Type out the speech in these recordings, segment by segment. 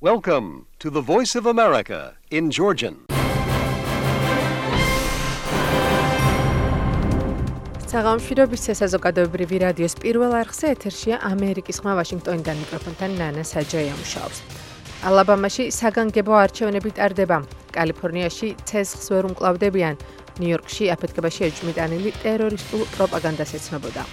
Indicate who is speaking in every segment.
Speaker 1: Welcome to the Voice of America in Georgian.
Speaker 2: საღამოშვიდობის საზოგადოებრივი რადიოს პირველ არხზე ეთერშია ამერიკის ხმა ვაშინგტონიდან მიკროფონთან ნანა საჯაია მუშაობს. ალაბამაში საგანგებო არჩევნები ტარდება. კალიფორნიაში ცეცხლს ვერ უმკლავდებიან. ნიუ-იორკში აფეთქებაში ეჭვმიტანილი ტერორისტულ პროპაგანდას ეცნობოდა.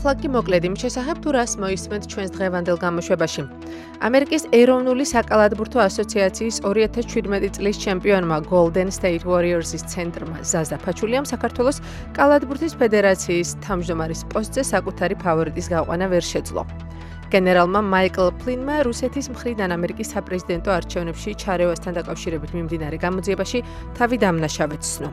Speaker 2: ახლა მოკლედ იმ შესახებ თუ რას მოისმენთ ჩვენს დღევანდელ გამოშვებაში. ამერიკის ეროვნული საკალათბურთო ასოციაციის 2017 წლის ჩემპიონმა Golden State Warriors-ის ცენტრმა ზაზა ფაჩულიამ საქართველოს კალათბურთის ფედერაციის თავმჯდომარის პოსტზე საკუთარი ფავორიტის გაყვანა ვერ შეძლო. გენერალმა მაიკლ ფლინმა რუსეთის მხრიდან ამერიკის საპრეზიდენტო არჩევნებში ჩარევასთან დაკავშირებით მიმდინარე გამოძიებაში თავი დამნაშავედ ცნო.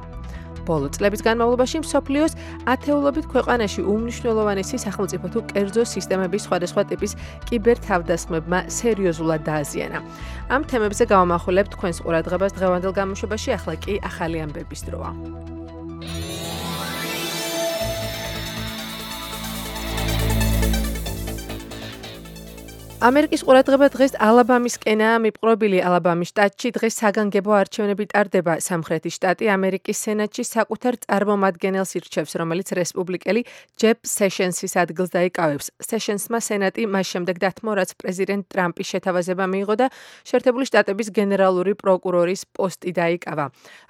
Speaker 2: ბოლო წლების განმავლობაში მსოფლიოს ათეულობით ქვეყანაში უმნიშვნელოვანესი სახელმწიფო თუ კერძო სისტემების სხვადასხვა ტიპის კიბერთავდასხმებმა სერიოზულად დააზიანა. ამ თემებზე გავამახვილებთ თქვენს ყურადღებას დღევანდელ გამოშვებაში, ახლა კი ახალი ამბების დროა. ამერიკის ყურადღება დღეს ალაბამისკენაა მიპყრობილი. ალაბამის შტატში დღეს საგანგებო არჩევნები ტარდება. სამხრეთის შტატი ამერიკის სენატში საკუთარ წარმომადგენელს ირჩევს, რომელიც რესპუბლიკელი ჯეფ სეშენსის ადგილს დაიკავებს. სეშენსმა სენატი მას შემდეგ დათმო, რაც პრეზიდენტ ტრამპის შეთავაზება მიიღო და შეერთებული შტატების გენერალური პროკურორის პოსტი დაიკავა.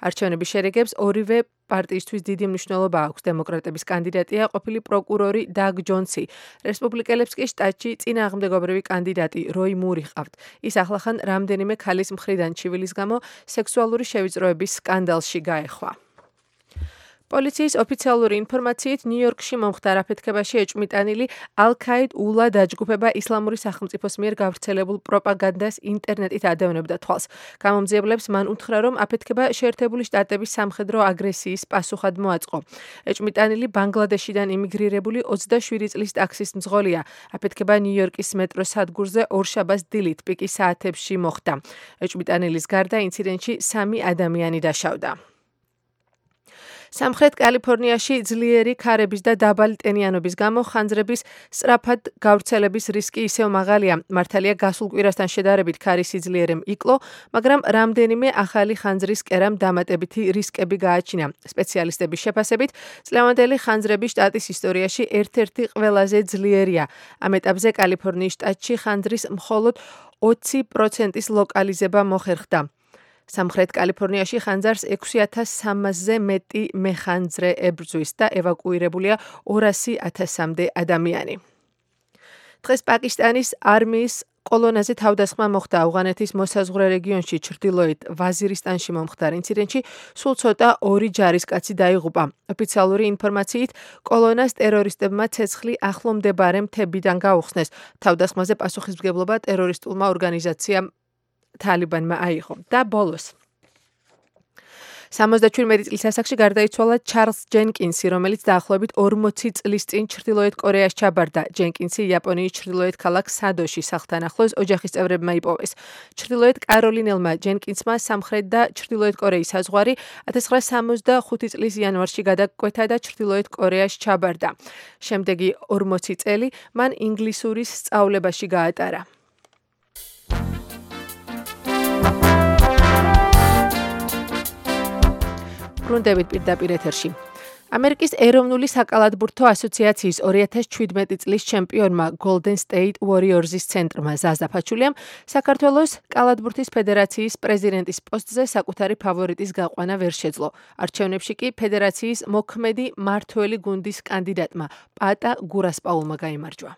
Speaker 2: არჩევნების შერეგებს ორივე პარტიისთვის დიდი მნიშვნელობა აქვს. დემოკრატების კანდიდატია ყოფილი პროკურორი დაგ ჯონსი. რესპუბლიკელებს კი შტატში წინააღმდეგობრივი კანდიდატი როი მური ჰყავთ. ის ახლახან რამდენიმე ქალის მხრიდან ჩივილის გამო სექსუალური შევიწროების სკანდალში გაეხვა. პოლიციის ოფიციალური ინფორმაციით ნიუ-იორკში მომხდარ აფეთქებაში ეჭვმიტანილი ალ-ქაიდ ულა დაჯგუფება ისლამური სახელმწიფოს მიერ გავრცელებულ პროპაგანდას ინტერნეტით ადევნებდა თვალს. გამომძიებლებს მან უთხრა, რომ აფეთქება შეერთებული შტატების სამხედრო აგრესიის პასუხად მოაწყო. ეჭვმიტანილი ბანგლადეშიდან იმიგრირებული 27 წლის ტაქსის მძღოლია. აფეთქება ნიუ-იორკის მეტროს სადგურზე ორშაბათს დილით პიკის საათებში მოხდა. ეჭვმიტანილის გარდა ინციდენტში 3 ადამიანი დაშავდა. სამხრეთ კალიფორნიაში ძლიერი ქარების და დაბალი ტენიანობის გამო ხანძრების სწრაფად გავრცელების რისკი ისევ მაღალია. მართალია გასულ კვირასთან შედარებით ქარის სიძლიერემ იკლო, მაგრამ რამდენიმე ახალი ხანძრის კერამ დამატებითი რისკები გააჩინა. სპეციალისტების შეფასებით, წლევანდელი ხანძრები შტატის ისტორიაში ერთ-ერთი ყველაზე ძლიერია. ამ ეტაპზე კალიფორნიის შტატში ხანძრის მხოლოდ 20%-ის ლოკალიზება მოხერხდა. სამხრეთ კალიფორნიაში ხანძარს 6300-ზე მეტი მეხანძრე ებრძვის და ევაკუირებულია 200,000-მდე ადამიანი. დღეს პაკისტანის არმიის კოლონაზე თავდასხმა მოხდა ავღანეთის მოსაზღვრე რეგიონში ჩრდილოეთ ვაზირისტანში მომხდარ ინციდენტში სულ ცოტა 2 ჯარისკაცი დაიღუპა. ოფიციალური ინფორმაციით კოლონას ტერორისტებმა ცეცხლი ახლო მდებარე მთებიდან გაუხსნეს. თავდასხმაზე პასუხისმგებლობა ტერორისტულმა ორგანიზაციამ თალიბანმა აიღო და ბოლოს 77 წლის ასაკში გარდაიცვალა ჩარლზ ჯენკინსი, რომელიც დაახლოებით 40 წლის წინ ჩრდილოეთ კორეას ჩაბარდა. ჯენკინსი იაპონიის ჩრდილოეთ ქალაქ სადოში სახლთან ახლოს ოჯახის წევრებმა იპოვეს. ჩრდილოეთ კაროლინელმა ჯენკინსმა სამხრეთ და ჩრდილოეთ კორეის საზღვარი 1965 წლის იანვარში გადაკვეთა და ჩრდილოეთ კორეას ჩაბარდა. შემდეგი 40 წელი მან ინგლისურის სწავლებაში გაატარა. ბრუნდებით პირდაპირ ეთერში. ამერიკის ეროვნული საკალათბურთო ასოციაციის 2017 წლის ჩემპიონმა Golden State Warriors-ის ცენტრმა ზაზა ფაჩულიამ საქართველოს კალათბურთის ფედერაციის პრეზიდენტის პოსტზე საკუთარი ფავორიტის გაყვანა ვერ შეძლო. არჩევნებში კი ფედერაციის მოქმედი მმართველი გუნდის კანდიდატმა პატა გურასპაულმა გაიმარჯვა.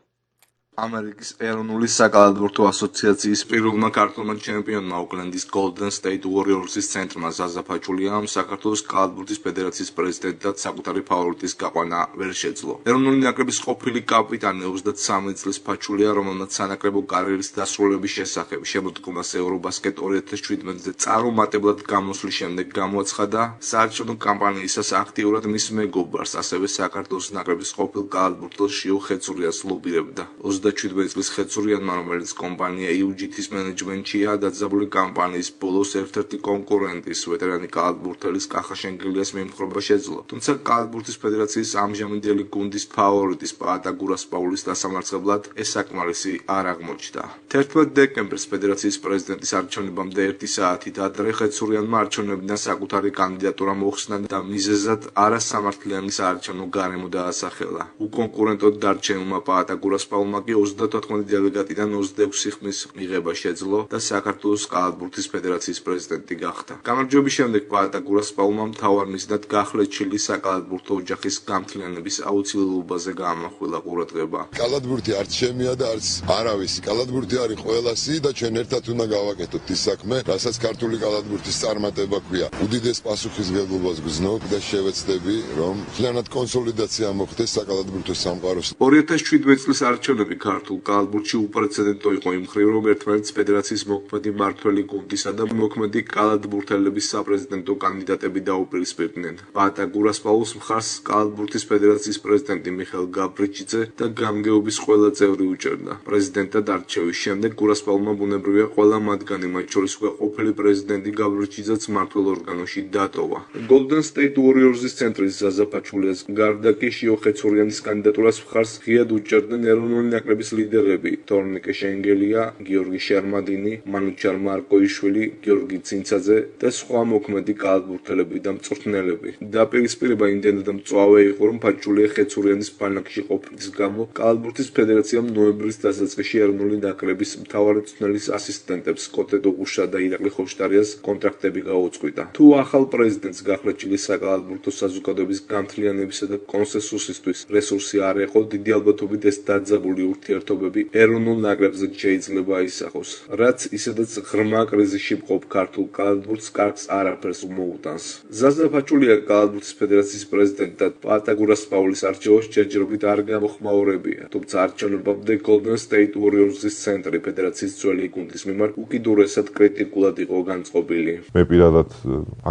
Speaker 3: ამერიკის ეროვნული საკალათბურთო ასოციაციის პირველმა ქართველმა ჩემპიონმა ოკლენდის Golden State Warriors-ის ცენტრმა ზაზა ფაჩულიამ საქართველოს კალათბურთის ფედერაციის პრეზიდენტად საკუთარი ფავორიტის გაყვანა ვერ შეძლო. ეროვნული ნაკრების ყოფილი კაპიტანი 23 წლის ფაჩულია, რომელმაც სანაკრებო კარიერის დასრულების შესახებ შემოდგომას ევრობასკეტ 2017-ზე წარუმატებლად გამოსვლის შემდეგ გამოაცხადა საარჩევნო კამპანიისას აქტიურად მის მეგობარს, ასევე საქართველოს ნაკრების ყოფილ კალათბურთელს შიო ხეცურიას ლობირებდა. 27 წლის ხეცურიანმა, რომელიც კომპანია UGT-ის მენეჯმენტშია, დაძაბული კამპანიის ბოლოს ერთ-ერთი კონკურენტის, ვეტერანი კალათბურთელის კახა შენგელიას მიმხრობა შეძლო. თუმცა კალათბურთის ფედერაციის ამჟამინდელი გუნდის ფავორიტის პაატა გურასპაულის დასამარცხებლად ეს საკმარისი არ აღმოჩნდა. 11 დეკემბერს ფედერაციის პრეზიდენტის არჩევნებამდე 1 საათით ადრე ხეცურიანმა არჩევნებიდან საკუთარი კანდიდატურა მოხსნა და მიზეზად არასამართლიანი საარჩევნო გარემო დაასახელა. უკონკურენტოდ დარჩენილმა პაატა გურასპაულმა კი 34 დელეგატიდან 26 ხმის მიღება შეძლო და საქართველოს კალათბურთის ფედერაციის პრეზიდენტი გახდა. გამარჯვების შემდეგ პაატა გურასპაულმა მთავარ მიზნად გახლეჩილი საკალათბურთო ოჯახის გამთლიანების აუცილებლობაზე გაამახვილა ყურადღება.
Speaker 4: კალათბურთი არც შემია და არც არავის. კალათბურთი არის ყველასი და ჩვენ ერთად უნდა გავაკეთოთ ის საქმე, რასაც ქართული კალათბურთის წარმატება ქვია. უდიდეს პასუხისმგებლობას გრძნობ და შევეცდები, რომ მთლიანად კონსოლიდაცია მოხდეს საკალათბურთო სამყაროს.
Speaker 3: 2017 წლის არჩევნები ქართულ კალათბურთში უპრეცედენტო იყო იმ მხრივ, რომ ერთმანეთს ფედერაციის მოქმედი მმართველი გუნდისა და მოქმედი კალათბურთელების საპრეზიდენტო კანდიდატები დაუპირისპირდნენ. პაატა გურასპაულს მხარს კალათბურთის ფედერაციის პრეზიდენტი მიხეილ გაბრიჩიძე და გამგეობის ყველა წევრი უჭერდა. პრეზიდენტად არჩევის შემდეგ გურასპაულმა ბუნებრივია ყველა მათგანი, მათ შორის ყოფილი პრეზიდენტი გაბრიჩიძეც მმართველ ორგანოში დატოვა. Golden State Warriors-ის ცენტრის ზაზა ფაჩულიას გარდა კი შიო ხეცურიანის კანდიდატურას მხარს ღიად უჭერდნენ ეროვნული ნაკრების ლიდერები თორნიკე შენგელია, გიორგი შერმადინი, მანუჩარ მარკოიშვილი, გიორგი ცინცაძე და სხვა მოქმედი კალათბურთელები და მწვრთნელები. დაპირისპირება იმდენად მწვავე იყო, რომ ფაჩულია ხეცურიანის ბანაკში ყოფნის გამო კალათბურთის ფედერაციამ ნოემბრის დასაწყისში ეროვნული ნაკრების მთავარი მწვრთნელის ასისტენტებს კოტე დოგუშა და ირაკლი ხოშტარიას კონტრაქტები გაუწყვიტა. თუ ახალ პრეზიდენტს გახლეჩილი საკალათბურთო საზოგადოების გამთლიანებისა და კონსენსუსისთვის რესურსი არ იყო, დიდი ალბათობით ეს დაძაბული ურთიერთობები ეროვნულ ნაკრებზე შეიძლება აისახოს, რაც ისედაც ღრმა კრიზისში მყოფ ქართულ კალათბურთს კარგს არაფერს მოუტანს. ზაზა ფაჩულია კალათბურთის ფედერაციის პრეზიდენტად პაატა გურასპაულის არჩევას ჯერჯერობით არ გამოხმაურებია, თუმცა არჩევნებამდე Golden State Warriors-ის ცენტრი ფედერაციის ძველი გუნდის მიმართ უკიდურესად კრიტიკულად იყო განწყობილი.
Speaker 5: მე პირადად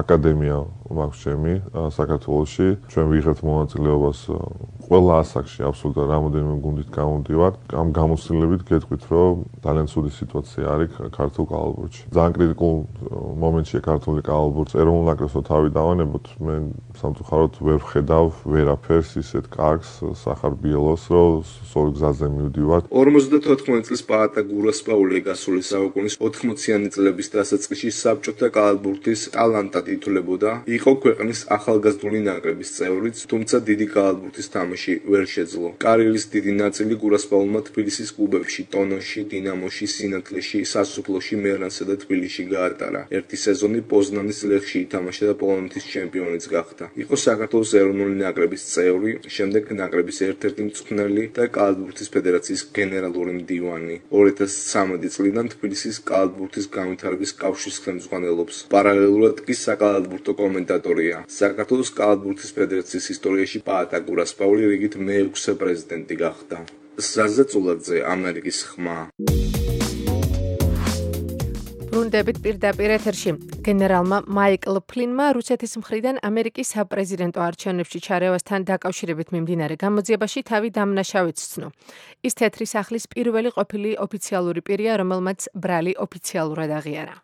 Speaker 5: აკადემია მაქვს ჩემი საქართველოში. ჩვენ ვიღებთ მონაწილეობას ყველა ასაკში, აბსოლუტურად რამოდენიმე გუნდით გამოდივართ. ამ გამოცდილებით გეტყვით, რომ ძალიან ცუდი სიტუაცია არის ქართულ კალათბურთში. ძალიან კრიტიკულ მომენტშია ქართული კალათბურთი. ეროვნულ ნაკრებსო თავი დავანებოთ, მე სამწუხაროდ ვერ ვხედავ ვერაფერს ისეთ კარგს სახარბიელოს, რომ სწორი გზაზე მივდივართ.
Speaker 3: 54 წლის პაატა გურასპაული გასული საუკუნის 80-იანი წლების დასაწყისში საბჭოთა კალათბურთის ტალანტად ითვლებოდა. იყო ქვეყნის ახალგაზრდული ნაკრების წევრიც, თუმცა დიდი კალათბურთის თამაში ვერ შეძლო. კარიერის დიდი ნაწილი გურასპაულმა თბილისის კლუბებში ტონოში, დინამოში, სინათლეში, სასუფლოში, მერანსა და თბილისში გაატარა. ერთი სეზონი პოზნანის ლეხში ითამაშა და პოლონეთის ჩემპიონიც გახდა. იყო საქართველოს ეროვნული ნაკრების წევრი, შემდეგ ნაკრების ერთ-ერთი მწვრთნელი და კალათბურთის ფედერაციის გენერალური მდივანი. 2013 წლიდან თბილისის კალათბურთის განვითარების კავშირის ხელმძღვანელობს. პარალელურად კი საკალათბურთო კომენტატორია. საქართველოს კალათბურთის ფედერაციის ისტორიაში პაატა გურასპაული რიგით მე-6 პრეზიდენტი გახდა. ზაზა წულაძე, ამერიკის ხმა.
Speaker 2: ბრუნდებით პირდაპირ ეთერში. გენერალმა მაიკლ ფლინმა რუსეთის მხრიდან ამერიკის საპრეზიდენტო არჩევნებში ჩარევასთან დაკავშირებით მიმდინარე გამოძიებაში თავი დამნაშავედ სცნო. ის თეთრი სახლის პირველი ყოფილი ოფიციალური პირია, რომელმაც ბრალი ოფიციალურად აღიარა.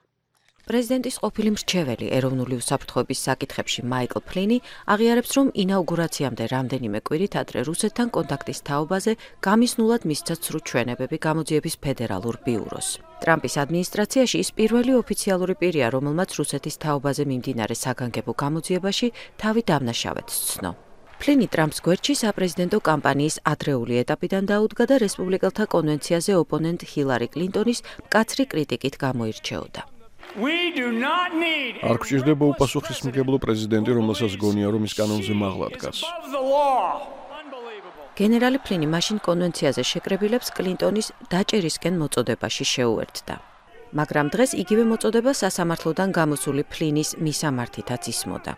Speaker 6: პრეზიდენტის ყოფილი მრჩეველი ეროვნული უსაფრთხოების საკითხებში მაიკლ ფლინი აღიარებს, რომ ინაუგურაციამდე რამდენიმე კვირით ადრე რუსეთთან კონტაქტის თაობაზე გამისნულად მისცა ცრუ ჩვენებები გამოძიების ფედერალურ ბიუროს. ტრამპის ადმინისტრაციაში ის პირველი ოფიციალური პირია, რომელმაც რუსეთის თაობაზე მიმდინარე საგანგებო გამოძიებაში თავი დამნაშავედ სცნო. ფლინი ტრამპს გვერდში საპრეზიდენტო კამპანიის ადრეული ეტაპიდან დაუდგა და რესპუბლიკელთა კონვენციაზე ოპონენტ ჰილარი კლინტონის მკაცრი კრიტიკით გამოირჩეოდა.
Speaker 7: არ გვჭირდება უპასუხისმგებლო პრეზიდენტი, რომელსაც გონია, რომ ის კანონზე მაღლა დგას.
Speaker 6: გენერალი ფლინი მაშინ კონვენციაზე შეკრებილებს კლინტონის დაჭერისკენ მოწოდებაში შეუერთდა. მაგრამ დღეს იგივე მოწოდება სასამართლოდან გამოსული ფლინის მისამართითაც ისმოდა.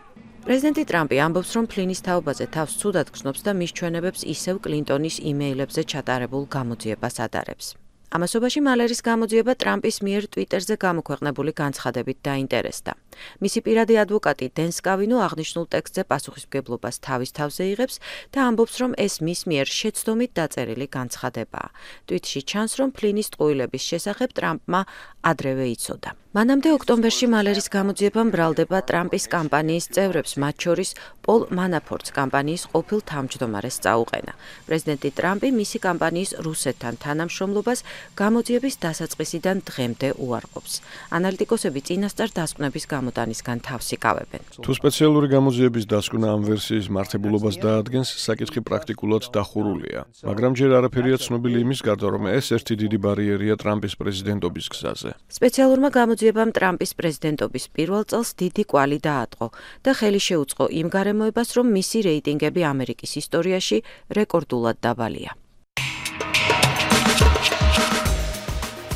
Speaker 6: პრეზიდენტი ტრამპი ამბობს, რომ ფლინის თაობაზე თავს ცუდად გრძნობს და მის ჩვენებებს ისევ კლინტონის იმეილებზე ჩატარებულ გამოძიებას ადარებს. ამასობაში მალერის გამოძიება ტრამპის მიერ ტვიტერზე გამოქვეყნებული განცხადებით დაინტერესდა. მისი პირადი ადვოკატი დენ სკავინო აღნიშნულ ტექსტზე პასუხისმგებლობას თავის თავზე იღებს და ამბობს, რომ ეს მის მიერ შეცდომით დაწერილი განცხადებაა. ტვიტში ჩანს, რომ ფლინის ტყუილების შესახებ ტრამპმა ადრევე იცოდა. მანამდე ოქტომბერში მალერის გამოძიება ბრალდება ტრამპის კამპანიის წევრებს, მათ შორის პოლ მანაფორტს კამპანიის ყოფილ თავმჯდომარეს წაუყენა. პრეზიდენტი ტრამპი მისი კამპანიის რუსეთთან თანამშრომლობას გამოძიების დასაწყისიდან დღემდე უარყოფს. ანალიტიკოსები წინასწარ დასკვნების გამოტანისგან თავს იკავებენ.
Speaker 7: თუ სპეციალური გამოძიების დასკვნა ამ ვერსიის მართებულობას დაადგენს, საკითხი პრაქტიკულად დახურულია. მაგრამ ჯერ არაფერია ცნობილი იმის გარდა, რომ ეს ერთი დიდი ბარიერია ტრამპის პრეზიდენტობის გზაზე.
Speaker 6: სპეციალურმა გამოძიებამ ტრამპის პრეზიდენტობის პირველ წელს დიდი კვალი დაატყო და ხელი შეუწყო იმ გარემოებას, რომ მისი რეიტინგები ამერიკის ისტორიაში რეკორდულად დაბალია.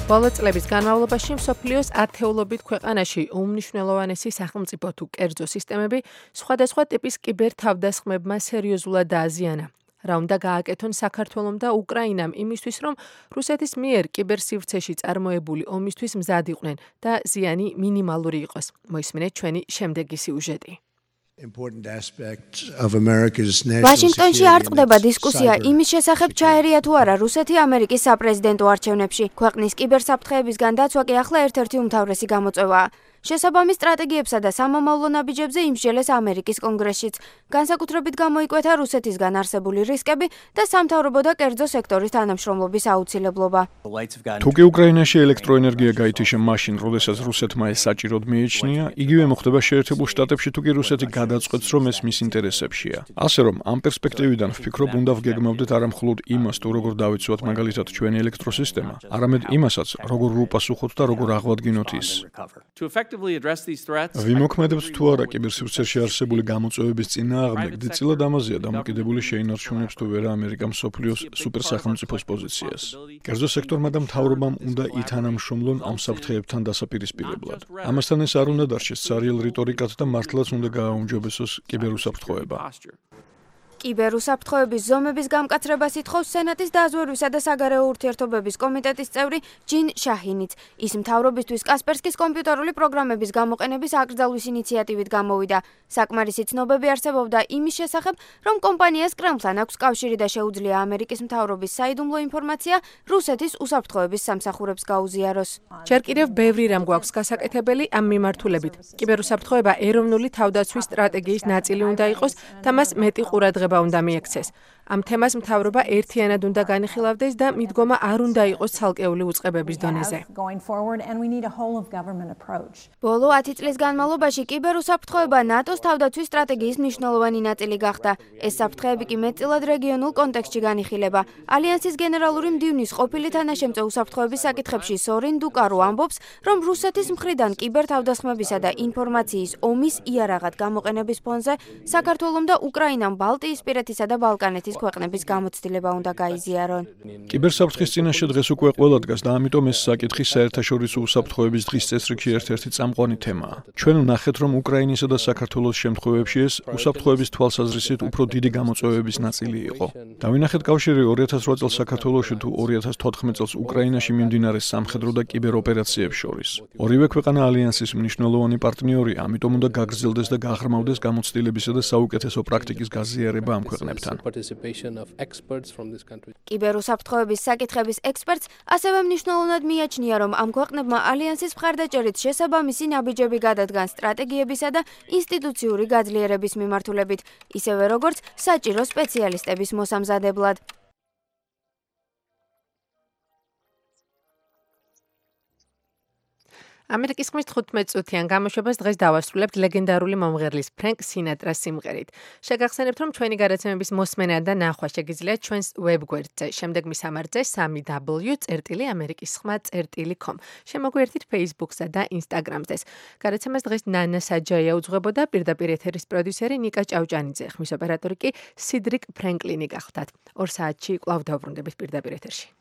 Speaker 2: ბოლო წლების განმავლობაში მსოფლიოს ათეულობით ქვეყანაში უმნიშვნელოვანესი სახელმწიფო თუ კერძო სისტემები სხვადასხვა ტიპის კიბერთავდასხმებმა სერიოზულად დააზიანა. რა უნდა გააკეთონ საქართველომ და უკრაინამ იმისთვის, რომ რუსეთის მიერ კიბერსივრცეში წარმოებული ომისთვის მზად იყვნენ და ზიანი მინიმალური იყოს. მოისმინეთ ჩვენი შემდეგი სიუჟეტი.
Speaker 8: ვაშინგტონში არ წყდება დისკუსია იმის შესახებ, ჩაერია თუ არა რუსეთი ამერიკის საპრეზიდენტო არჩევნებში. ქვეყნის კიბერსაფრთხეებისგან დაცვა კი ახლა ერთ-ერთი უმთავრესი გამოწვევაა. შესაბამის სტრატეგიებსა და სამომავლო ნაბიჯებზე იმსჯელეს ამერიკის კონგრესშიც. განსაკუთრებით გამოიკვეთა რუსეთისგან არსებული რისკები და სამთავრობო და კერძო სექტორის თანამშრომლობის აუცილებლობა.
Speaker 7: თუკი უკრაინაში ელექტროენერგია გაითიშა მაშინ, როდესაც რუსეთმა ეს საჭიროდ მიიჩნია, იგივე მოხდება შეერთებულ შტატებში, თუკი რუსეთი გადაწყვეტს, რომ ეს მის ინტერესებშია. ასე რომ, ამ პერსპექტივიდან ვფიქრობ, უნდა ვგეგმავდეთ არა მხოლოდ იმას, თუ როგორ დავიცვათ მაგალითად ჩვენი ელექტროსისტემა, არამედ იმასაც, როგორ ვუპასუხოთ და როგორ აღვადგინოთ ის. ვიმოქმედებთ თუ არა კიბერსივრცეში არსებული გამოწვევების წინააღმდეგ, დიდწილად ამაზეა დამოკიდებული შეინარჩუნებს თუ ვერა ამერიკა მსოფლიოს სუპერსახელმწიფოს პოზიციას. კერძო სექტორმა და მთავრობამ უნდა ითანამშრომლონ ამ საფრთხეებთან დასაპირისპირებლად. ამასთან ეს არ უნდა დარჩეს ცარიელ რიტორიკად და მართლაც უნდა გააუმჯობესოს კიბერუსაფრთხოება.
Speaker 8: კიბერუსაფრთხოების ზომების გამკაცრებას ითხოვს სენატის დაზვერვისა და საგარეო ურთიერთობების კომიტეტის წევრი ჯინ შაჰინიც. ის მთავრობისთვის კასპერსკის კომპიუტერული პროგრამების გამოყენების აკრძალვის ინიციატივით გამოვიდა. საკმარისი ცნობები არსებობდა იმის შესახებ, რომ კომპანიას კრემლთან აქვს კავშირი და შეუძლია ამერიკის მთავრობის საიდუმლო ინფორმაცია რუსეთის უსაფრთხოების სამსახურებს გაუზიაროს.
Speaker 2: ჯერ კიდევ ბევრი რამ გვაქვს გასაკეთებელი ამ მიმართულებით. კიბერუსაფრთხოება ეროვნული თავდაცვის სტრატეგიის ნაწილი უნდა იყოს და მას მეტი ყურადღება უნდა მიექცეს. ამ თემას მთავრობა ერთიანად უნდა განიხილავდეს და მიდგომა არ უნდა იყოს ცალკეული უწყებების დონეზე.
Speaker 8: ბოლო 10 წლის განმავლობაში კიბერუსაფრთხოება ნატოს თავდაცვის სტრატეგიის მნიშვნელოვანი ნაწილი გახდა. ეს საფრთხეები კი მეტწილად რეგიონულ კონტექსტში განიხილება. ალიანსის გენერალური მდივნის ყოფილი თანაშემწე უსაფრთხოების საკითხებში სორინ დუკარო ამბობს, რომ რუსეთის მხრიდან კიბერთავდასხმებისა და ინფორმაციის ომის იარაღად გამოყენების ფონზე საქართველომ და უკრაინამ ბალტიისპირეთისა და ბალკანეთის ქვეყნების გამოცდილება უნდა გაიზიარონ.
Speaker 7: კიბერსაფრთხის წინაშე დღეს უკვე ყველა დგას და ამიტომ ეს საკითხი საერთაშორისო უსაფრთხოების დღის წესრიგში ერთ-ერთი წამყვანი თემაა. ჩვენ ვნახეთ, რომ უკრაინისა და საქართველოს შემთხვევებში ეს უსაფრთხოების თვალსაზრისით უფრო დიდი გამოწვევების ნაწილი იყო. დავინახეთ კავშირი 2008 წელს საქართველოში თუ 2014 წელს უკრაინაში მიმდინარე სამხედრო და კიბეროპერაციებს შორის. ორივე ქვეყანა ალიანსის მნიშვნელოვანი პარტნიორია, ამიტომ უნდა გაგრძელდეს და გაღრმავდეს გამოცდილებისა და საუკეთესო პრაქტიკის გაზიარება ამ ქვეყნებთან.
Speaker 8: კიბერუსაფრთხოების საკითხების ექსპერტს ასევე მნიშვნელოვნად მიაჩნია, რომ ამ ქვეყნებმა ალიანსის მხარდაჭერით შესაბამისი ნაბიჯები გადადგან სტრატეგიებისა და ინსტიტუციური გაძლიერების მიმართულებით, ისევე როგორც საჭირო სპეციალისტების მოსამზადებლად.
Speaker 2: ამერიკის ხმის 15 წუთიან გამოშვებას დღეს დავასრულებთ ლეგენდარული მომღერლის ფრენკ სინატრას სიმღერით. შეგახსენებთ, რომ ჩვენი გარაცემების მოსმენა და ნახვა შეგიძლიათ ჩვენს ვებგვერდზე. შემდეგ მისამართზე 3w.amerikisxma.com. შემოგვიერთით Facebook-სა და Instagram-ზე. გარაცემას დღეს ნანა საჯაია უძღვებოდა, პირდაპირ ეთერის პროდიუსერი ნიკა ჭავჭანიძე, ხმის ოპერატორი კი სიდრიკ ფრენკლინი გახლდათ. 2 საათში კვლავ დავბრუნდებით პირდაპირ ეთერში.